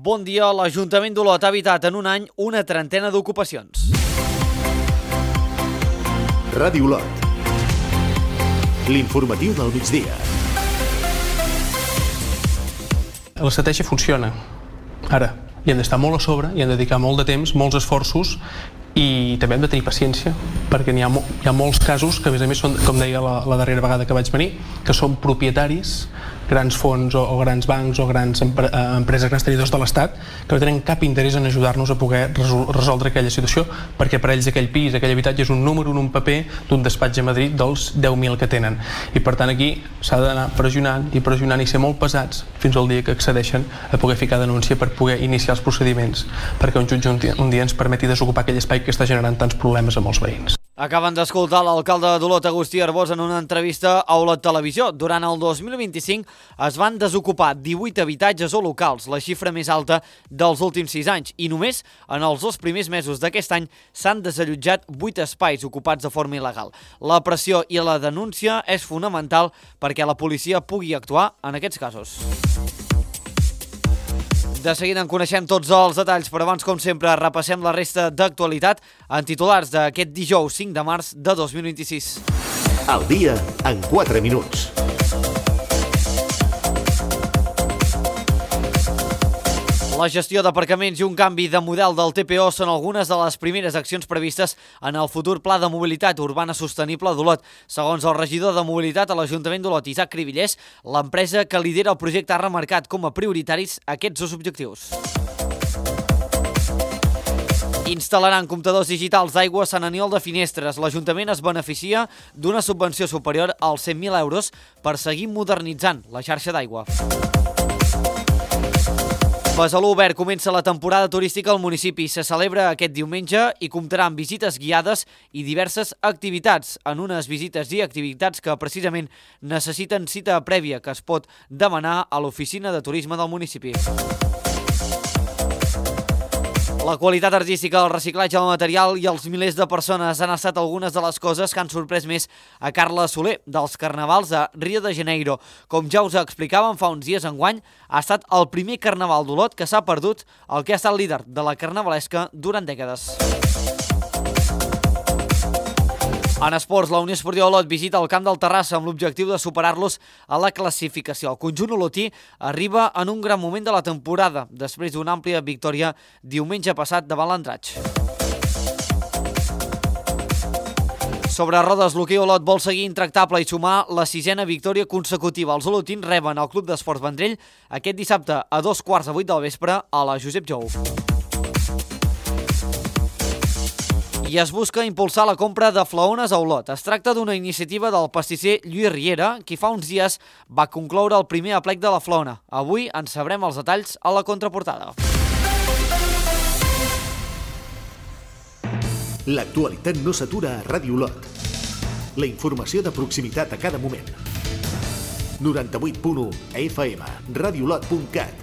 Bon dia, l'Ajuntament d'Olot ha evitat en un any una trentena d'ocupacions. Ràdio Olot. L'informatiu del migdia. L'estratègia funciona. Ara, hi hem d'estar molt a sobre, hi hem de dedicar molt de temps, molts esforços i també hem de tenir paciència, perquè hi ha molts casos que, a més són, com deia la darrera vegada que vaig venir, que són propietaris, grans fons o grans bancs o grans empreses, grans tenidors de l'Estat, que no tenen cap interès en ajudar-nos a poder resoldre aquella situació, perquè per ells aquell pis, aquell habitatge és un número en un paper d'un despatx a Madrid dels 10.000 que tenen. I per tant aquí s'ha d'anar pressionant i ser molt pesats fins al dia que accedeixen a poder ficar denúncia per poder iniciar els procediments, perquè un jutge un dia ens permeti desocupar aquell espai que està generant tants problemes a molts veïns. Acaben d'escoltar l'alcalde d'Olot, Agustí Arbós, en una entrevista a Olot Televisió. Durant el 2025 es van desocupar 18 habitatges o locals, la xifra més alta dels últims 6 anys, i només en els 2 primers mesos d'aquest any s'han desallotjat 8 espais ocupats de forma il·legal. La pressió i la denúncia és fonamental perquè la policia pugui actuar en aquests casos. De seguida en coneixem tots els detalls, però abans, com sempre, repassem la resta d'actualitat en titulars d'aquest dijous 5 de març de 2026. El dia en 4 minuts. La gestió d'aparcaments i un canvi de model del TPO són algunes de les primeres accions previstes en el futur Pla de Mobilitat Urbana Sostenible d'Olot. Segons el regidor de Mobilitat a l'Ajuntament d'Olot, Isaac Cribillers, l'empresa que lidera el projecte ha remarcat com a prioritaris aquests 2 objectius. Instal·laran comptadors digitals d'aigua a Sant Aniol de Finestres. L'Ajuntament es beneficia d'una subvenció superior als 100.000 euros per seguir modernitzant la xarxa d'aigua. Besalú Obert comença la temporada turística al municipi. Se celebra aquest diumenge i comptarà amb visites guiades i diverses activitats. En unes visites i activitats que precisament necessiten cita prèvia que es pot demanar a l'oficina de turisme del municipi. La qualitat artística, el reciclatge del material i els milers de persones han estat algunes de les coses que han sorprès més a Carla Soler, dels Carnavals de Rio de Janeiro. Com ja us explicàvem fa uns dies, enguany ha estat el primer Carnaval d'Olot que s'ha perdut el que ha estat líder de la carnavalesca durant dècades. En esports, la Unió Esportiva Olot visita el camp del Terrassa amb l'objectiu de superar-los a la classificació. El conjunt olotí arriba en un gran moment de la temporada, després d'una àmplia victòria diumenge passat davant l'Andratx. Sobre rodes, l'hoquei Olot vol seguir intractable i sumar la 6a victòria consecutiva. Els olotins reben el Club d'Esports Vendrell aquest dissabte a 7:15 del vespre a la Josep Jou. I es busca impulsar la compra de flaones a Olot. Es tracta d'una iniciativa del pastisser Lluís Riera, qui fa uns dies va concloure el primer aplec de la flaona. Avui en sabrem els detalls a la contraportada. L'actualitat no s'atura a Ràdio Olot. La informació de proximitat a cada moment. 98.1 FM, radiolot.cat,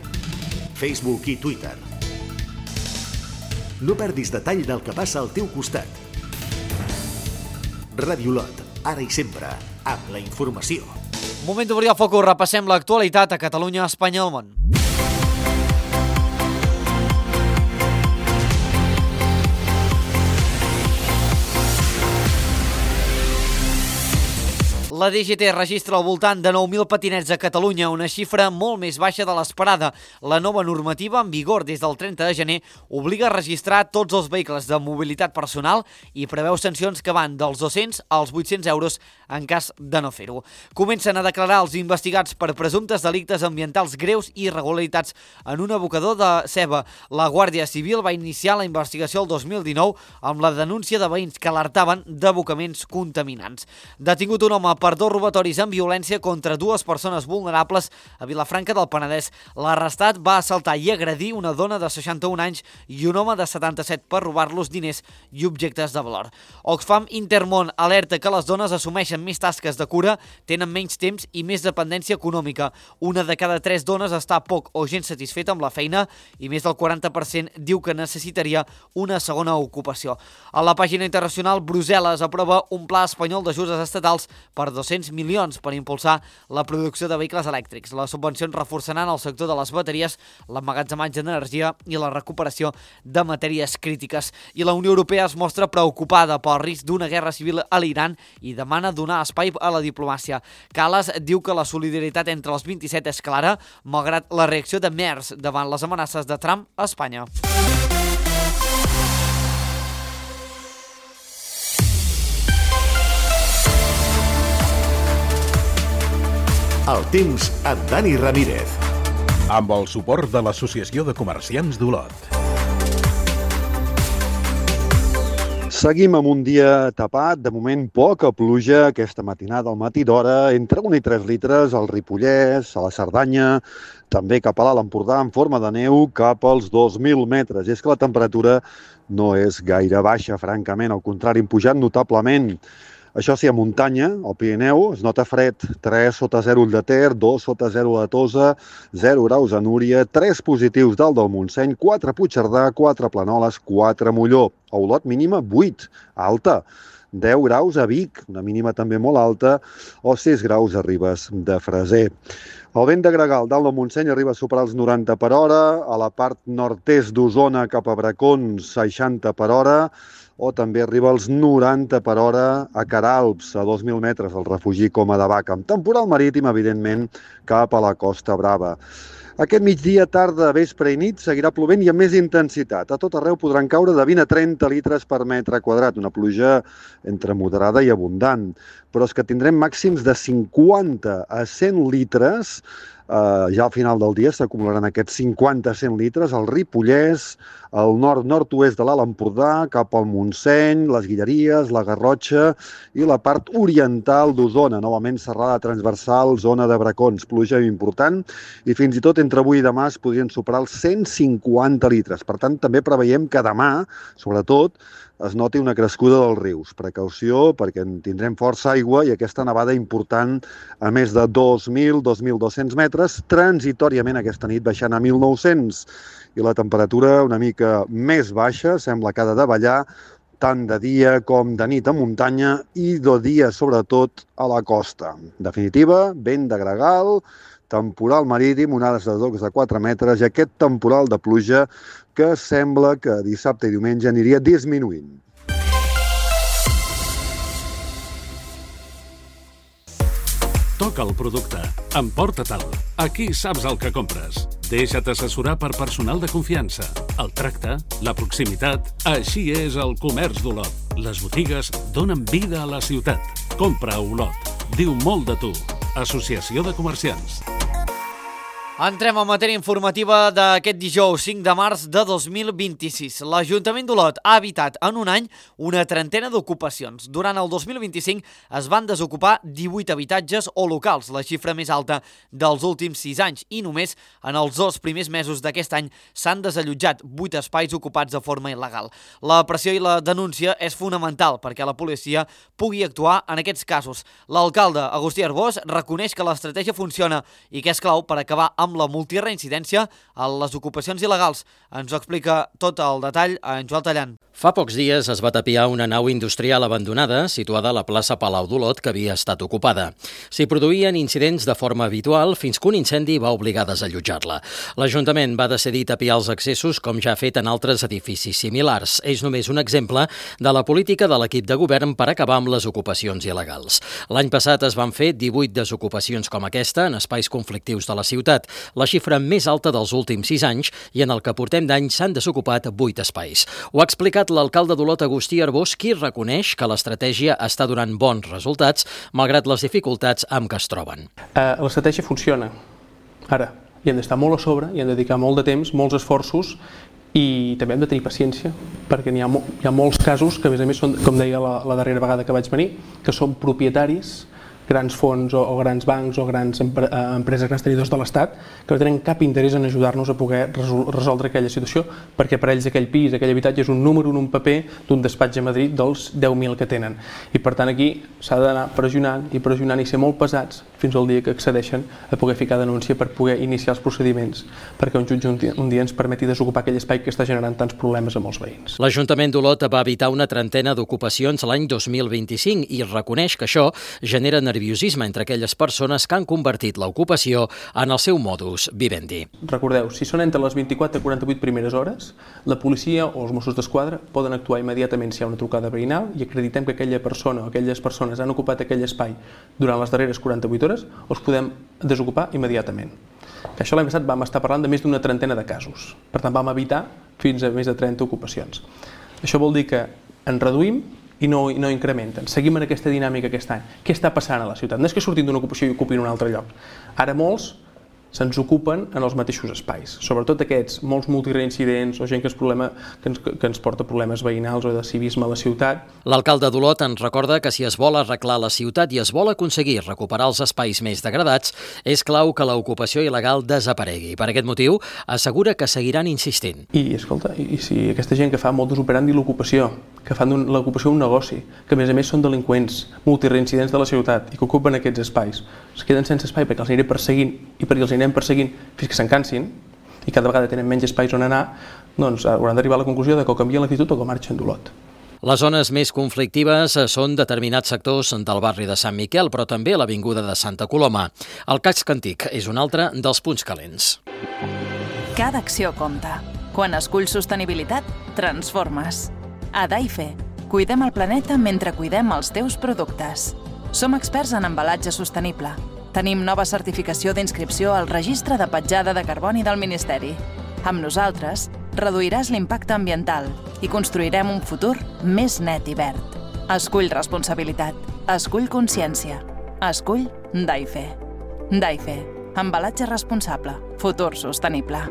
Facebook i Twitter. No perdis detall del que passa al teu costat. Ràdio Olot, ara i sempre, amb la informació. Moment d'obrir el focus, repassem l'actualitat a Catalunya, Espanya i el món. La DGT registra al voltant de 9.000 patinets a Catalunya, una xifra molt més baixa de l'esperada. La nova normativa, en vigor des del 30 de gener, obliga a registrar tots els vehicles de mobilitat personal i preveu sancions que van dels 200 als 800 euros en cas de no fer-ho. Comencen a declarar els investigats per presumptes delictes ambientals greus i irregularitats en un abocador de ceba. La Guàrdia Civil va iniciar la investigació el 2019 amb la denúncia de veïns que alertaven d'abocaments contaminants. Detingut un home per 2 robatoris amb violència contra 2 persones vulnerables a Vilafranca del Penedès. L'arrestat va assaltar i agredir una dona de 61 anys i un home de 77 per robar-los diners i objectes de valor. Oxfam Intermón alerta que les dones assumeixen realitzen més tasques de cura, tenen menys temps i més dependència econòmica. Una de cada 3 dones està poc o gens satisfeta amb la feina i més del 40% diu que necessitaria una segona ocupació. A la pàgina internacional, Brussel·les aprova un pla espanyol d'ajudes estatals per 200 milions per impulsar la producció de vehicles elèctrics. Les subvencions reforçaran el sector de les bateries, l'emmagatzematge d'energia i la recuperació de matèries crítiques. I la Unió Europea es mostra preocupada pel risc d'una guerra civil a l'Iran i demana donar espai a la diplomàcia. Kallas diu que la solidaritat entre els 27 és clara, malgrat la reacció de Merz davant les amenaces de Trump a Espanya. El temps amb Dani Ramírez. Amb el suport de l'Associació de Comerciants d'Olot. Seguim amb un dia tapat, de moment poca pluja aquesta matinada al matí d'hora, entre 1 i 3 litres al Ripollès, a la Cerdanya, també cap a l'Alt Empordà en forma de neu cap als 2.000 metres. I és que la temperatura no és gaire baixa, francament, al contrari, hem pujat notablement. Això sí, a muntanya, al Pirineu, es nota fred, 3 sota 0 Ull de Ter, 2 sota 0 a Tosa, 0 graus a Núria, 3 positius dalt del Montseny, 4 a Puigcerdà, 4 a Planoles, 4 a Molló. A Olot mínima 8, alta. 10 graus a Vic, una mínima també molt alta, o 6 graus a Ribes de Freser. El vent de gregal dalt del Montseny arriba a superar els 90 per hora, a la part nord-est d'Osona cap a Bracons, 60 per hora, o també arriba als 90 per hora a Queralbs, a 2.000 metres, al refugi Coma de Vaca, amb temporal marítim, evidentment, cap a la Costa Brava. Aquest migdia, tarda, vespre i nit seguirà plovent i amb més intensitat. A tot arreu podran caure de 20 a 30 litres per metre quadrat, una pluja entre moderada i abundant. Però és que tindrem màxims de 50 a 100 litres. Ja al final del dia s'acumularan aquests 50 a 100 litres al Ripollès, al nord-nord-oest de l'Alt Empordà, cap al Montseny, les Guilleries, la Garrotxa i la part oriental d'Osona. Novament serrada transversal, zona de Bracons, pluja important i fins i tot entre avui i demà es podrien superar els 150 litres. Per tant, també preveiem que demà, sobretot, es noti una crescuda dels rius. Precaució, perquè en tindrem força aigua i aquesta nevada important a més de 2.000-2.200 metres, transitoriament aquesta nit baixant a 1.900. I la temperatura una mica més baixa, sembla que ha de davallar, tant de dia com de nit a muntanya i de dia, sobretot, a la costa. En definitiva, vent de gregal, temporal marítim, onades de 2 a 4 metres i aquest temporal de pluja que sembla que dissabte i diumenge aniria disminuint. Toca el producte. Emporta-te'l. Aquí saps el que compres. Deixa't assessorar per personal de confiança. El tracte, la proximitat... Així és el comerç d'Olot. Les botigues donen vida a la ciutat. Compra a Olot. Diu molt de tu. Associació de Comerciants. Entrem a matèria informativa d'aquest dijous 5 de març de 2026. L'Ajuntament d'Olot ha evitat en un any una trentena d'ocupacions. Durant el 2025 es van desocupar 18 habitatges o locals, la xifra més alta dels últims 6 anys, i només en els 2 primers mesos d'aquest any s'han desallotjat 8 espais ocupats de forma il·legal. La pressió i la denúncia és fonamental perquè la policia pugui actuar en aquests casos. L'alcalde Agustí Arbós reconeix que l'estratègia funciona i que és clau per acabar amb la multireincidència a les ocupacions il·legals. Ens ho explica tot el detall en Joel Tallant. Fa pocs dies es va tapiar una nau industrial abandonada situada a la plaça Palau d'Olot que havia estat ocupada. S'hi produïen incidents de forma habitual fins que un incendi va obligar a desallotjar-la. L'Ajuntament va decidir tapiar els accessos com ja ha fet en altres edificis similars. És només un exemple de la política de l'equip de govern per acabar amb les ocupacions il·legals. L'any passat es van fer 18 desocupacions com aquesta en espais conflictius de la ciutat, la xifra més alta dels últims 6 anys, i en el que portem d'any s'han desocupat 8 espais. Ho ha explicat l'alcalde d'Olot, Agustí Arbós, qui reconeix que l'estratègia està donant bons resultats, malgrat les dificultats amb què es troben. L'estratègia funciona. Ara, hi hem d'estar molt a sobre, hi hem de dedicar molt de temps, molts esforços, i també hem de tenir paciència, perquè hi ha molts casos que, a més són, com deia la darrera vegada que vaig venir, que són propietaris grans fons o grans bancs o grans empreses, grans tenidors de l'Estat, que no tenen cap interès en ajudar-nos a poder resoldre aquella situació, perquè per ells aquell pis, aquell habitatge és un número en un paper d'un despatx a Madrid dels 10.000 que tenen. I per tant aquí s'ha d'anar pressionant i ser molt pesats fins al dia que accedeixen a poder ficar denúncia per poder iniciar els procediments perquè un jutge un dia ens permeti desocupar aquell espai que està generant tants problemes a molts veïns. L'Ajuntament d'Olot va evitar una trentena d'ocupacions l'any 2025 i reconeix que això genera nerviosisme entre aquelles persones que han convertit l'ocupació en el seu modus vivendi. Recordeu, si són entre les 24 i 48 primeres hores, la policia o els Mossos d'Esquadra poden actuar immediatament si hi ha una trucada veïnal i acreditem que aquella persona o aquelles persones han ocupat aquell espai durant les darreres 48 hores, els podem desocupar immediatament. Això l'any passat vam estar parlant de més d'una trentena de casos. Per tant, vam evitar fins a més de 30 ocupacions. Això vol dir que en reduïm i no incrementen. Seguim en aquesta dinàmica aquest any. Què està passant a la ciutat? No és que surtin d'una ocupació i ocupin un altre lloc. Ara molts se'ns ocupen en els mateixos espais. Sobretot aquests, molts multireincidents o gent que ens porta problemes veïnals o de civisme a la ciutat. L'alcalde d'Olot ens recorda que si es vol arreglar la ciutat i es vol aconseguir recuperar els espais més degradats, és clau que l'ocupació il·legal desaparegui. Per aquest motiu, assegura que seguiran insistint. I, escolta, i si aquesta gent que fa modus operandi l'ocupació, que fan l'ocupació un negoci, que a més són delinqüents, multireincidents de la ciutat i que ocupen aquests espais, es queden sense espai perquè els aniré perseguint i perquè els anirem perseguint fins que se'n cansin i cada vegada tenen menys espais on anar, doncs hauran d'arribar a la conclusió que o canvien l'actitud o que marxen d'Olot. Les zones més conflictives són determinats sectors del barri de Sant Miquel, però també l'avinguda de Santa Coloma. El casc antic és un altre dels punts calents. Cada acció compta. Quan esculls sostenibilitat, transformes. A Daife, cuidem el planeta mentre cuidem els teus productes. Som experts en embalatge sostenible. Tenim nova certificació d'inscripció al Registre de Petjada de Carboni del Ministeri. Amb nosaltres, reduiràs l'impacte ambiental i construirem un futur més net i verd. Escull responsabilitat. Escull consciència. Escull Daife. Daife. Embalatge responsable. Futur sostenible.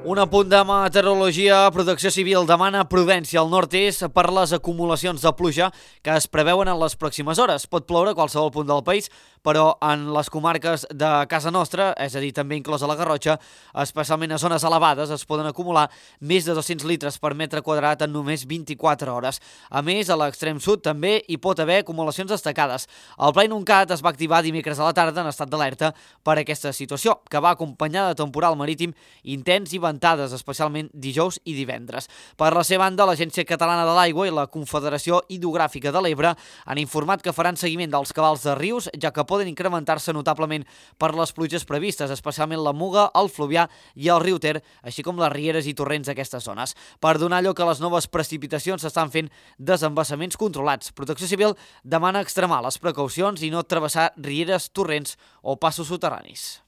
Un apunt de meteorologia. Protecció Civil demana prudència al nord-est per les acumulacions de pluja que es preveuen en les pròximes hores. Pot ploure a qualsevol punt del país, però en les comarques de casa nostra, és a dir, també inclosa la Garrotxa, especialment a zones elevades, es poden acumular més de 200 litres per metre quadrat en només 24 hores. A més, a l'extrem sud també hi pot haver acumulacions destacades. El Pla Inuncat es va activar dimecres a la tarda en estat d'alerta per aquesta situació, que va acompanyada de temporal marítim intens i ventades, especialment dijous i divendres. Per la seva banda, l'Agència Catalana de l'Aigua i la Confederació Hidrogràfica de l'Ebre han informat que faran seguiment dels cabals de rius, ja que poden incrementar-se notablement per les pluges previstes, especialment la Muga, el Fluvià i el riu Ter, així com les rieres i torrents d'aquestes zones. Per donar lloc a les noves precipitacions s'estan fent desembassaments controlats. Protecció Civil demana extremar les precaucions i no travessar rieres, torrents o passos soterranis.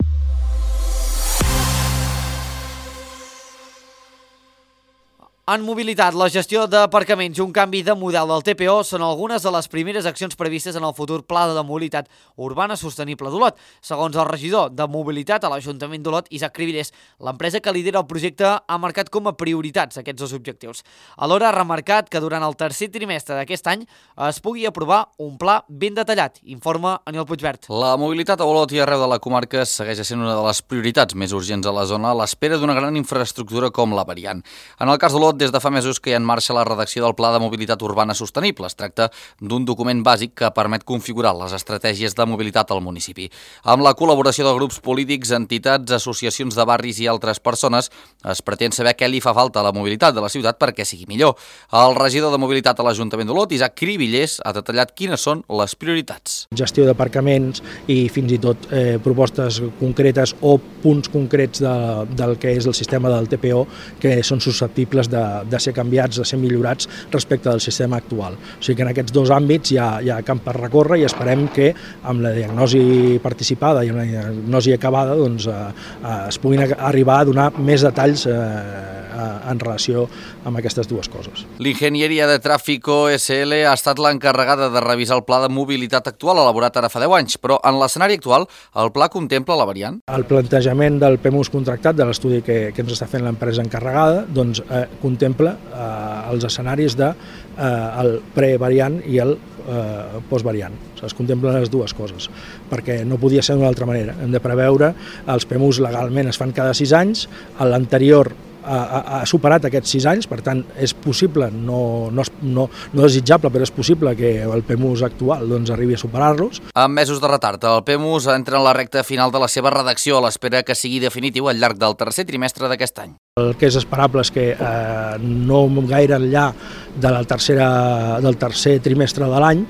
En mobilitat, la gestió d'aparcaments i un canvi de model del TPO són algunes de les primeres accions previstes en el futur Pla de Mobilitat Urbana Sostenible d'Olot. Segons el regidor de Mobilitat a l'Ajuntament d'Olot, Isaac Cribillers, l'empresa que lidera el projecte ha marcat com a prioritats aquests dos objectius. Alhora ha remarcat que durant el tercer trimestre d'aquest any es pugui aprovar un pla ben detallat, informa Aniol Puigvert. La mobilitat a Olot i arreu de la comarca segueix sent una de les prioritats més urgents a la zona a l'espera d'una gran infraestructura com la variant. En el cas d'Olot, des de fa mesos que hi ha en marxa la redacció del Pla de Mobilitat Urbana Sostenible. Es tracta d'un document bàsic que permet configurar les estratègies de mobilitat al municipi. Amb la col·laboració de grups polítics, entitats, associacions de barris i altres persones, es pretén saber què li fa falta a la mobilitat de la ciutat perquè sigui millor. El regidor de Mobilitat a l'Ajuntament d'Olot, Isaac Cribillers, ha detallat quines són les prioritats. Gestió d'aparcaments i fins i tot propostes concretes o punts concrets del que és el sistema del TPO que són susceptibles de ser canviats, de ser millorats respecte del sistema actual. O sigui que en aquests dos àmbits hi ha camp per recórrer i esperem que amb la diagnosi participada i una diagnosi acabada doncs, es puguin arribar a donar més detalls en relació amb aquestes dues coses. L'Ingenieria de Tráfico SL ha estat l'encarregada de revisar el pla de mobilitat actual elaborat ara fa 10 anys, però en l'escenari actual el pla contempla la variant? El plantejament del PEMUS contractat, de l'estudi que ens està fent l'empresa encarregada, doncs contempla els escenaris del prevariant i el postvariant. Es contemplen les dues coses, perquè no podia ser d'una altra manera. Hem de preveure, els PMUs legalment es fan cada 6 anys, l'anterior ha superat aquests 6 anys, per tant és possible, no desitjable, però és possible que el PMUS actual arribi a superar-los. Amb mesos de retard, el PMUS entra en la recta final de la seva redacció a l'espera que sigui definitiu al llarg del tercer trimestre d'aquest any. El que és esperable és que no gaire enllà del tercer trimestre de l'any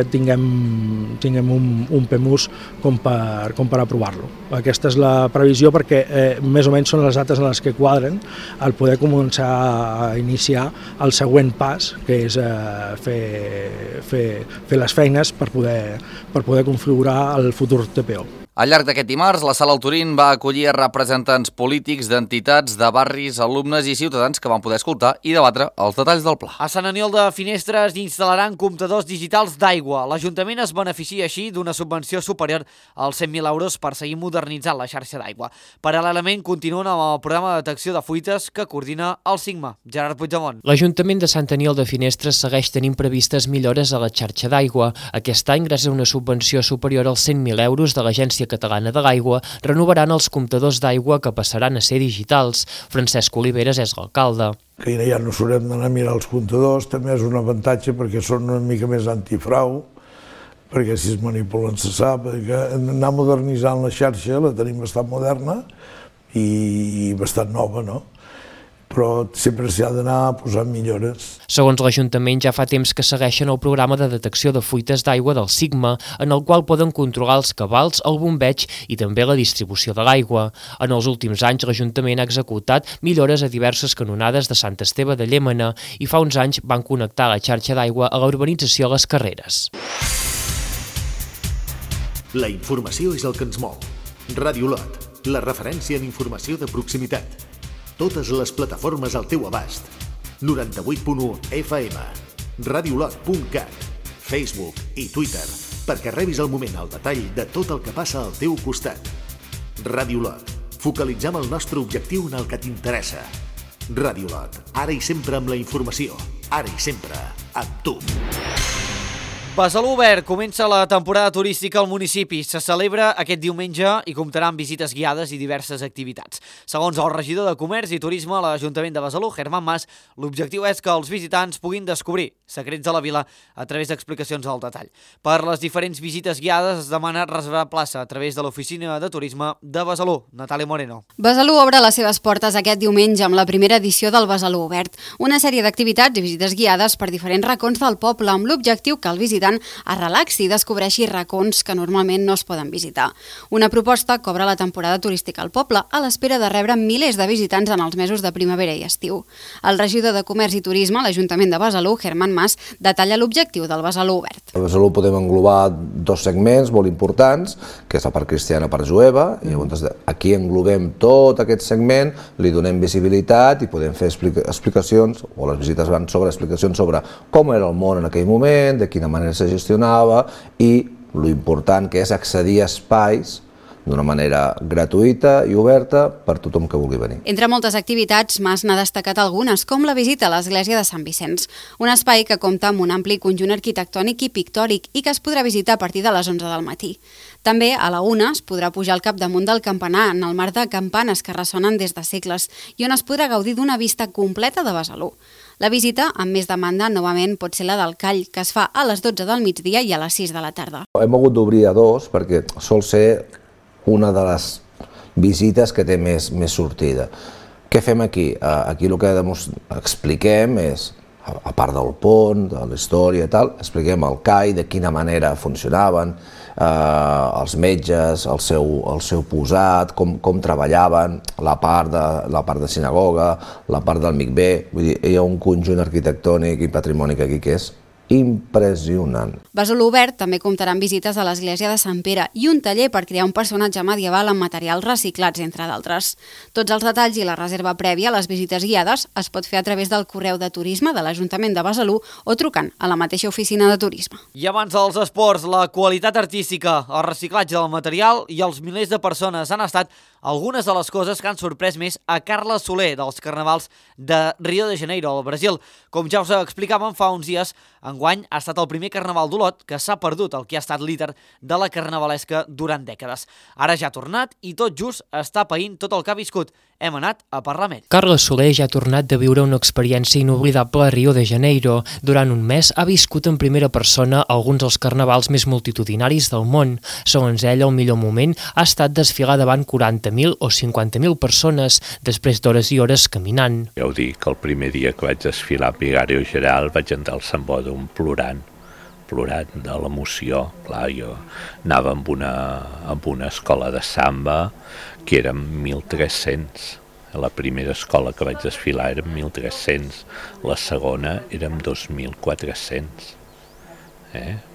tinguem un PMUS com per aprovar-lo. Aquesta és la previsió perquè més o menys són les dates en les que quadren el poder començar a iniciar el següent pas, que és fer les feines per poder configurar el futur TPO. Al llarg d'aquest dimarts, la Sala Alturín va acollir representants polítics, d'entitats, de barris, alumnes i ciutadans que van poder escoltar i debatre els detalls del pla. A Sant Aniol de Finestres instal·laran comptadors digitals d'aigua. L'Ajuntament es beneficia així d'una subvenció superior als 100.000 euros per seguir modernitzant la xarxa d'aigua. Paral·lelament, continuen amb el programa de detecció de fuites que coordina el Sigma. Gerard Puigdemont. L'Ajuntament de Sant Aniol de Finestres segueix tenint previstes millores a la xarxa d'aigua. Aquest any, gràcies a una subvenció superior als 100.000 euros de l'Agència Catalana de l'Aigua, renovaran els comptadors d'aigua que passaran a ser digitals. Francesc Oliveres és l'alcalde. Que ja no s'haurem d'anar a mirar els comptadors, també és un avantatge perquè són una mica més antifrau, perquè si es manipulen se sap, que anar modernitzant la xarxa, la tenim bastant moderna i bastant nova, no? Però sempre s'hi ha d'anar posant millores. Segons l'Ajuntament, ja fa temps que segueixen el programa de detecció de fuites d'aigua del Sigma, en el qual poden controlar els cabals, el bombeig i també la distribució de l'aigua. En els últims anys, l'Ajuntament ha executat millores a diverses canonades de Sant Esteve de Llémena i fa uns anys van connectar la xarxa d'aigua a la urbanització Les Carreres. La informació és el que ens mou. Ràdio Lot, la referència en informació de proximitat. Totes les plataformes al teu abast. 98.1 FM, radiolot.cat, Facebook i Twitter, perquè rebis al moment el detall de tot el que passa al teu costat. Ràdio Lot, focalitzem el nostre objectiu en el que t'interessa. Ràdio Lot, ara i sempre amb la informació, ara i sempre amb tu. Besalú Obert comença la temporada turística al municipi. Se celebra aquest diumenge i comptarà amb visites guiades i diverses activitats. Segons el regidor de Comerç i Turisme a l'Ajuntament de Besalú, Germán Mas, l'objectiu és que els visitants puguin descobrir secrets de la vila a través d'explicacions al detall. Per les diferents visites guiades es demana reservar plaça a través de l'Oficina de Turisme de Besalú. Natàlia Moreno. Besalú obre les seves portes aquest diumenge amb la primera edició del Besalú Obert, una sèrie d'activitats i visites guiades per diferents racons del poble amb l'objectiu que el visitant es relaxi i descobreixi racons que normalment no es poden visitar. Una proposta que obre la temporada turística al poble a l'espera de rebre milers de visitants en els mesos de primavera i estiu. El regidor de Comerç i Turisme a l'Ajuntament de Besalú, Germán Mas, detalla l'objectiu del Besalú Obert. A Besalú podem englobar 2 segments molt importants, que és la part cristiana, part jueva, i llavors aquí englobem tot aquest segment, li donem visibilitat i podem fer explicacions, o les visites van sobre explicacions sobre com era el món en aquell moment, de quina manera se gestionava i lo important que és accedir a espais d'una manera gratuïta i oberta per tothom que vulgui venir. Entre moltes activitats, Mas n'ha destacat algunes, com la visita a l'església de Sant Vicenç, un espai que compta amb un ampli conjunt arquitectònic i pictòric i que es podrà visitar a partir de les 11 del matí. També a la 1 es podrà pujar al capdamunt del campanar en el mar de campanes que ressonen des de segles i on es podrà gaudir d'una vista completa de Besalú. La visita, amb més demanda, novament pot ser la del Call, que es fa a les 12 del migdia i a les 6 de la tarda. Hem hagut d'obrir a 2 perquè sol ser una de les visites que té més sortida. Què fem aquí? Aquí el que expliquem és, a part del pont, de la història i tal, expliquem el CAI, de quina manera funcionaven, els metges, el seu posat, com treballaven, la part de sinagoga, la part del mikvé. Vull dir, hi ha un conjunt arquitectònic i patrimònic aquí que és impressionant. Besalú Obert també comptarà amb visites a l'església de Sant Pere i un taller per crear un personatge medieval amb materials reciclats, entre d'altres. Tots els detalls i la reserva prèvia a les visites guiades es pot fer a través del correu de turisme de l'Ajuntament de Besalú o trucant a la mateixa oficina de turisme. I abans dels esports, la qualitat artística, el reciclatge del material i els milers de persones han estat algunes de les coses que han sorprès més a Carla Soler dels Carnavals de Rio de Janeiro, al Brasil. Com ja us explicàvem fa uns dies, enguany ha estat el primer Carnaval d'Olot que s'ha perdut el que ha estat líder de la carnavalesca durant dècades. Ara ja ha tornat i tot just està païnt tot el que ha viscut. Hem anat a parlar amb ell. Carla Soler ja ha tornat de viure una experiència inoblidable a Rio de Janeiro. Durant un mes ha viscut en primera persona alguns dels carnavals més multitudinaris del món. Segons ella, el millor moment ha estat desfilar davant 40.000 o 50.000 persones, després d'hores i hores caminant. Ja ho dic, el primer dia que vaig desfilar a Vigario Geral vaig entrar al Sant Bòdrom plorant de l'emoció. Clar, jo anava amb una escola de samba que érem 1.300. La primera escola que vaig desfilar érem 1.300, la segona érem 2.400.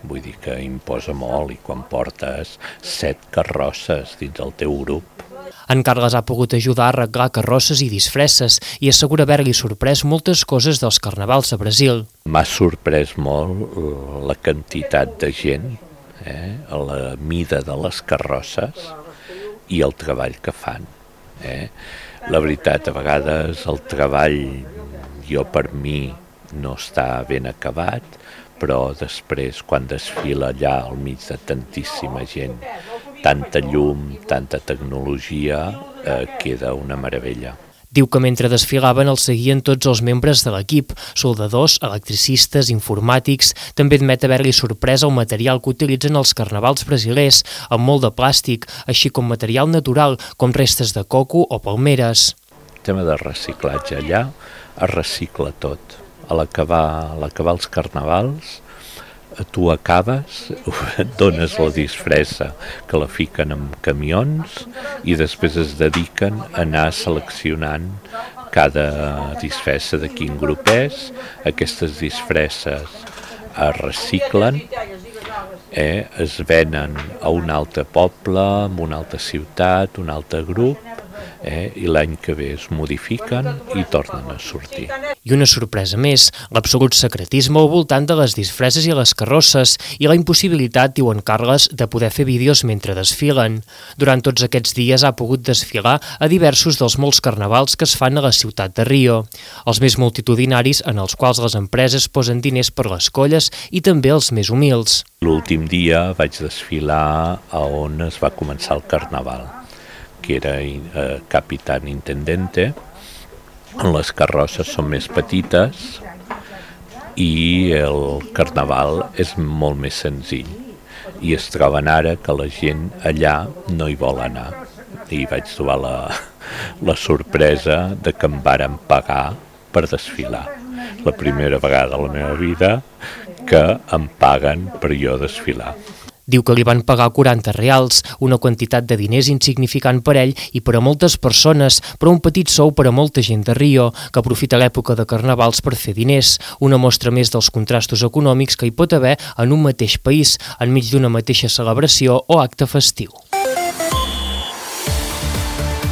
Vull dir que imposa molt, i quan portes 7 carrosses dins el teu grup. En Carles ha pogut ajudar a arreglar carrosses i disfresses i assegura haver-li sorprès moltes coses dels carnavals a Brasil. M'ha sorprès molt la quantitat de gent, la mida de les carrosses i el treball que fan. La veritat, a vegades el treball, jo per mi, no està ben acabat, però després, quan desfila allà al mig de tantíssima gent, tanta llum, tanta tecnologia, queda una meravella. Diu que mentre desfilaven els seguien tots els membres de l'equip, soldadors, electricistes, informàtics. També admet haver-li sorprès el material que utilitzen els carnavals brasilers, amb molt de plàstic, així com material natural, com restes de coco o palmeres. El tema de reciclatge allà es recicla tot. A l'acabar els carnavals, tu acabes, dones la disfressa, que la fiquen en camions i després es dediquen a anar seleccionant cada disfressa de quin grup és. Aquestes disfresses es reciclen, es venen a un altre poble, a una altra ciutat, un altre grup, i l'any que ve es modifiquen i tornen a sortir. I una sorpresa més, l'absolut secretisme al voltant de les disfresses i les carrosses i la impossibilitat, diu en Carles, de poder fer vídeos mentre desfilen. Durant tots aquests dies ha pogut desfilar a diversos dels molts carnavals que es fan a la ciutat de Rio, els més multitudinaris en els quals les empreses posen diners per les colles i també els més humils. L'últim dia vaig desfilar a on es va començar el carnaval, que era Capitán Intendente, on les carrosses són més petites i el carnaval és molt més senzill. I es troben ara que la gent allà no hi vol anar. I vaig trobar la sorpresa de que em varen pagar per desfilar. La primera vegada a la meva vida que em paguen per jo desfilar. Diu que li van pagar 40 reals, una quantitat de diners insignificant per ell i per a moltes persones, però un petit sou per a molta gent de Rio, que aprofita l'època de carnavals per fer diners, una mostra més dels contrastos econòmics que hi pot haver en un mateix país, enmig d'una mateixa celebració o acte festiu.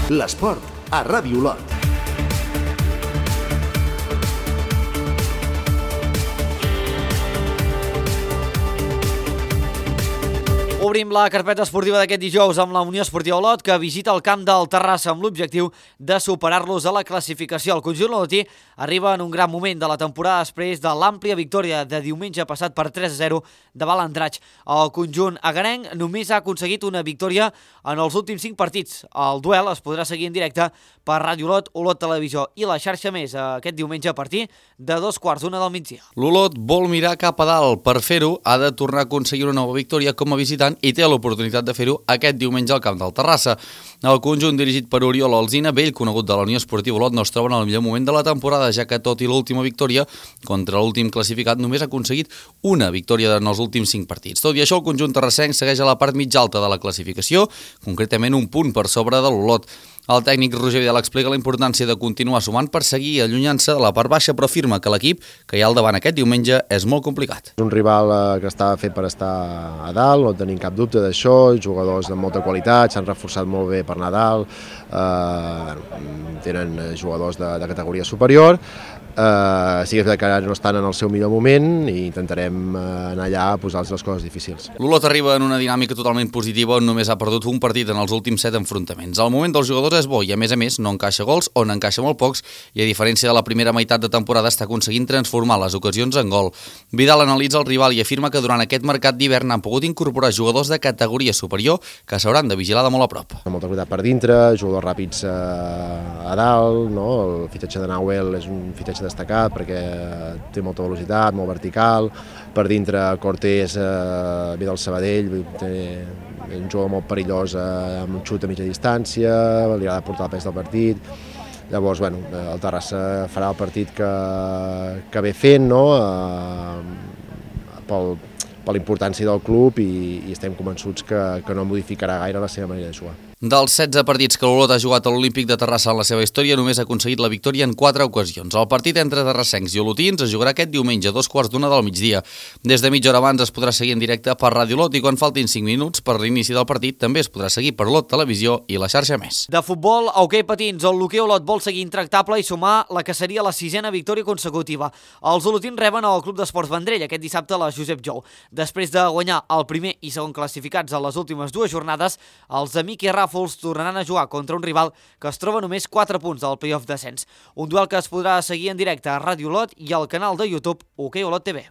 L'esport a Ràdio Olot. Obrim la carpeta esportiva d'aquest dijous amb la Unió Esportiva Olot, que visita el camp del Terrassa amb l'objectiu de superar-los a la classificació. El conjunt olotí arriba en un gran moment de la temporada després de l'àmplia victòria de diumenge passat per 3-0 davant l'Andratx. El conjunt agarenc només ha aconseguit una victòria en els últims 5 partits. El duel es podrà seguir en directe per Ràdio Olot, Olot Televisió i la xarxa més aquest diumenge a partir de 2:15 del migdia. L'Olot vol mirar cap a dalt. Per fer-ho ha de tornar a aconseguir una nova victòria com a visitant i té l'oportunitat de fer-ho aquest diumenge al camp del Terrassa. El conjunt dirigit per Oriol Alsina, vell conegut de la Unió Esportiva Olot, no es troba en el millor moment de la temporada, ja que tot i l'última victòria contra l'últim classificat només ha aconseguit una victòria en els últims 5 partits. Tot i això, el conjunt terrassenc segueix a la part mitja alta de la classificació, concretament un punt per sobre de l'Olot. El tècnic Roger Vidal explica la importància de continuar sumant per seguir allunyant-se de la part baixa, però afirma que l'equip que hi ha al davant aquest diumenge és molt complicat. És un rival que està fet per estar a dalt, no tenim cap dubte d'això, jugadors de molta qualitat, s'han reforçat molt bé per anar a dalt, tenen jugadors de categoria superior, Sí que és veritat que ara no estan en el seu millor moment i intentarem anar allà a posar-los les coses difícils. L'Olot arriba en una dinàmica totalment positiva on només ha perdut un partit en els últims 7 enfrontaments. El moment dels jugadors és bo i a més no encaixa gols o n'encaixa molt pocs i a diferència de la primera meitat de temporada està aconseguint transformar les ocasions en gol. Vidal analitza el rival i afirma que durant aquest mercat d'hivern han pogut incorporar jugadors de categoria superior que s'hauran de vigilar de molt a prop. Molta qualitat per dintre, jugadors ràpids a dalt, no? El fitatge de Nahuel és un fitatge destacat perquè té molta velocitat, molt vertical, per dintre Cortés ve del Sabadell, és un jugador molt perillós amb un xut a mitja distància, li ha de portar el pes del partit. Llavors, el Terrassa farà el partit que ve fent, no? Per la importància del club i estem convençuts que no modificarà gaire la seva manera de jugar. Dels 16 partits que l'Olot ha jugat a l'Olímpic de Terrassa en la seva història, només ha aconseguit la victòria en 4 ocasions. El partit entre terrassencs i olotins es jugarà aquest diumenge a 2:15 del migdia. Des de mitja hora abans es podrà seguir en directe per Ràdio Olot i quan faltin 5 minuts per l'inici del partit també es podrà seguir per Olot Televisió i la xarxa Més. De futbol, a hoquei patins, el l'hoquei Olot vol seguir intractable i sumar la que seria la 6a victòria consecutiva. Els olotins reben al Club d'Esports Vendrell aquest dissabte a la Josep Jou. Després de guanyar el primer i segon classificats a les últimes 2 jornades, els de Miqui Ràfols tornaran a jugar contra un rival que es troba només 4 punts del playoff descens. Un duel que es podrà seguir en directe a Ràdio Olot i al canal de YouTube Hoquei Olot TV.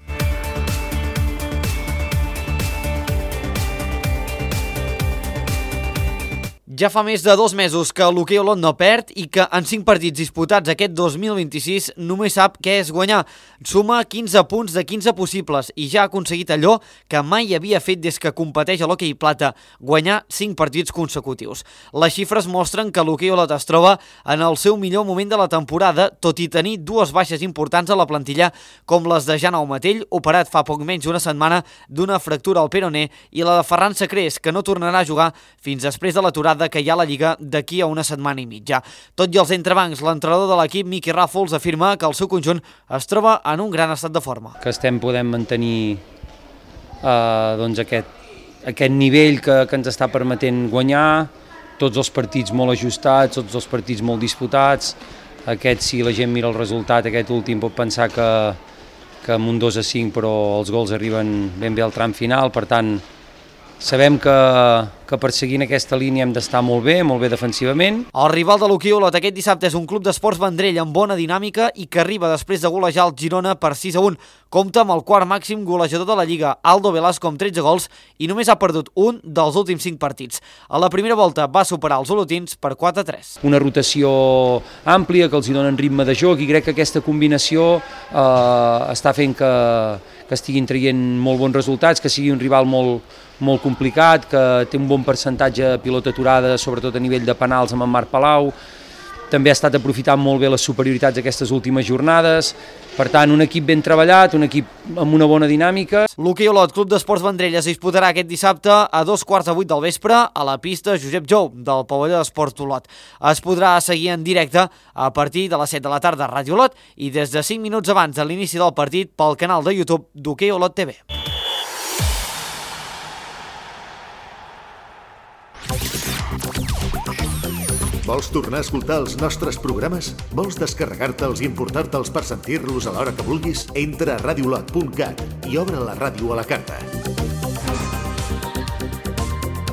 Ja fa més de 2 mesos que l'hoquei Olot no perd i que en 5 partits disputats aquest 2026 només sap què és guanyar. Suma 15 punts de 15 possibles i ja ha aconseguit allò que mai havia fet des que competeix a l'hoquei plata, guanyar 5 partits consecutius. Les xifres mostren que l'hoquei Olot es troba en el seu millor moment de la temporada, tot i tenir 2 baixes importants a la plantilla com les de Jan Aumatell, operat fa poc menys d'una setmana d'una fractura al peroné, i la de Ferran Sacrés, que no tornarà a jugar fins després de l'aturada que hi ha a la Lliga d'aquí a una setmana i mitja. Tot i els entrebancs, l'entrenador de l'equip, Miqui Ràfols, afirma que el seu conjunt es troba en un gran estat de forma. Que podem mantenir aquest nivell que ens està permetent guanyar, tots els partits molt ajustats, tots els partits molt disputats. Aquest, si la gent mira el resultat, aquest últim pot pensar que amb un 2-5, però els gols arriben ben bé al tram final, per tant, sabem que perseguint aquesta línia hem d'estar molt bé defensivament. El rival de l'hoquei Olot aquest dissabte és un Club d'Esports Vendrell amb bona dinàmica i que arriba després de golejar el Girona per 6-1. Compta amb el quart màxim golejador de la Lliga, Aldo Velasco, amb 13 gols i només ha perdut un dels últims 5 partits. A la primera volta va superar els olotins per 4-3. Una rotació àmplia que els hi donen ritme de joc i crec que aquesta combinació està fent que estiguin traient molt bons resultats, que sigui un rival molt complicat, que té un bon percentatge de pilota aturada, sobretot a nivell de penals amb en Marc Palau. També ha estat aprofitant molt bé les superioritats aquestes últimes jornades. Per tant, un equip ben treballat, un equip amb una bona dinàmica. L'hoquei Olot Club d'Esports Vendrell es disputarà aquest dissabte a 2:15 del vespre a la pista Josep Jou del pavelló d'Esports Olot. Es podrà seguir en directe a partir de les 7 de la tarda a Ràdio Olot i des de 5 minuts abans de l'inici del partit pel canal de YouTube d'Hoquei Olot TV. Vols tornar a escoltar els nostres programes? Vols descarregar-te'ls i importar-te'ls per sentir-los a l'hora que vulguis? Entra a radiolot.cat i obre la ràdio a la carta.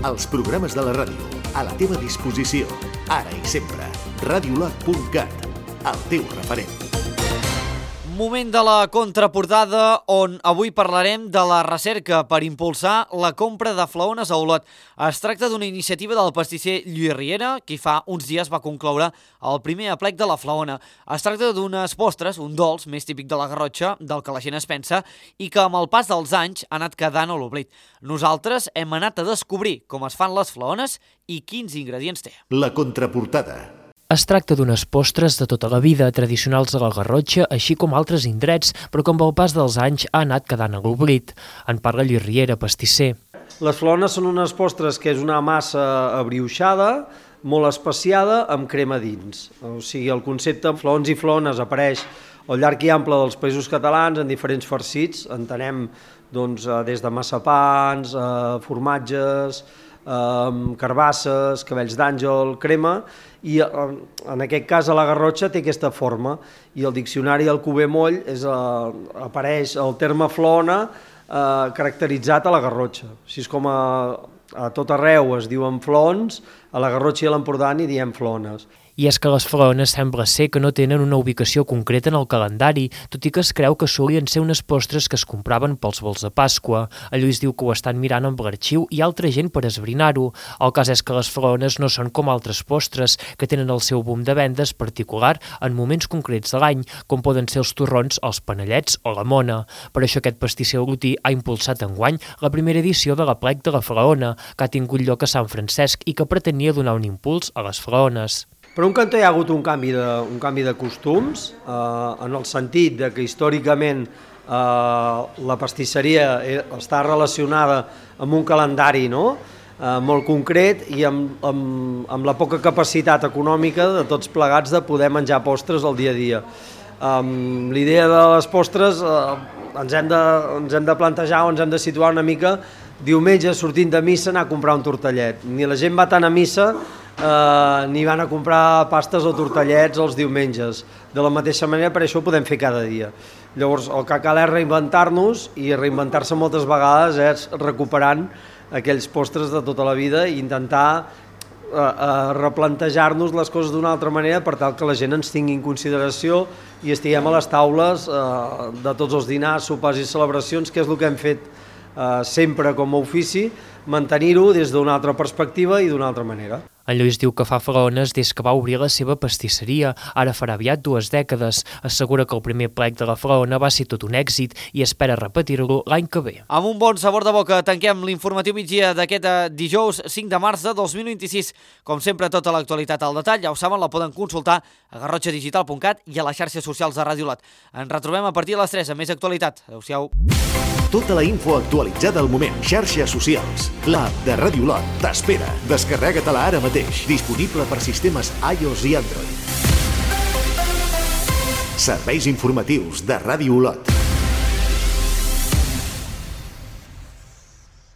Els programes de la ràdio, a la teva disposició, ara i sempre. Radiolot.cat, el teu referent. Moment de la contraportada on avui parlarem de la recerca per impulsar la compra de flaones a Olot. Es tracta d'una iniciativa del pastisser Lluís Riera, qui fa uns dies va concloure el primer aplec de la flaona. Es tracta d'unes postres, un dolç més típic de la Garrotxa, del que la gent es pensa, i que amb el pas dels anys ha anat quedant a l'oblit. Nosaltres hem anat a descobrir com es fan les flaones i quins ingredients té. La contraportada. Es tracta d'unes postres de tota la vida, tradicionals de la Garrotxa, així com altres indrets, però que amb el pas dels anys ha anat quedant a l'oblit. En parla Lluís Riera, pastisser. Les flaones són unes postres que és una massa abriuixada, molt especiada, amb crema dins. O sigui, el concepte flaons i flaones apareix al llarg i ample dels països catalans en diferents farcits. Entenem des de massapans, formatges, carbasses, cabells d'àngel, crema, i en aquest cas a la Garrotxa té aquesta forma, i al diccionari Alcover Moll apareix el terme flona caracteritzat a la Garrotxa. Així és com a tot arreu es diuen flons, a la Garrotxa i a l'Empordà n'hi diem flones. I és que les flaones sembla ser que no tenen una ubicació concreta en el calendari, tot i que es creu que solien ser unes postres que es compraven pels vols de Pasqua. El Lluís diu que ho estan mirant amb l'arxiu i altra gent per esbrinar-ho. El cas és que les flaones no són com altres postres, que tenen el seu boom de vendes particular en moments concrets de l'any, com poden ser els torrons, els panellets o la mona. Per això aquest pastisser olotí ha impulsat enguany la primera edició de l'Aplec de la Flaona, que ha tingut lloc a Sant Francesc i que pretenia donar un impuls a les flaones. Per un cantó hi ha hagut un canvi de costums, en el sentit de que històricament la pastisseria està relacionada amb un calendari molt concret i amb la poca capacitat econòmica de tots plegats de poder menjar postres al dia a dia. L'idea de les postres ens hem de plantejar o ens hem de situar una mica diumenge sortint de missa anar a comprar un tortellet. Ni la gent va tant a missa ni van a comprar pastes o tortellets els diumenges. De la mateixa manera, per això ho podem fer cada dia. Llavors, el que cal és reinventar-nos, i reinventar-se moltes vegades és recuperant aquells postres de tota la vida i intentar replantejar-nos les coses d'una altra manera per tal que la gent ens tingui en consideració i estiguem a les taules de tots els dinars, sopars i celebracions, que és el que hem fet sempre com a ofici, mantenir-ho des d'una altra perspectiva i d'una altra manera. En Lluís diu que fa flaones des que va obrir la seva pastisseria, ara farà aviat 2 dècades. Assegura que el primer plec de la flaona va ser tot un èxit i espera repetir-lo l'any que ve. Amb un bon sabor de boca tanquem l'informatiu migdia d'aquest dijous 5 de març de 2026. Com sempre, tota l'actualitat al detall, ja ho saben, la poden consultar a garrotxadigital.cat i a les xarxes socials de Ràdio Lot. Ens retrobem a partir de les 3 amb més actualitat. Adéu-siau. Tota la info actualitzada al moment. Xarxes socials. L'app de Ràdio Lot t'espera. Descarrega-te-la ara mateix. Disponible per sistemes iOS i Android. Serveis informatius de Ràdio Lot.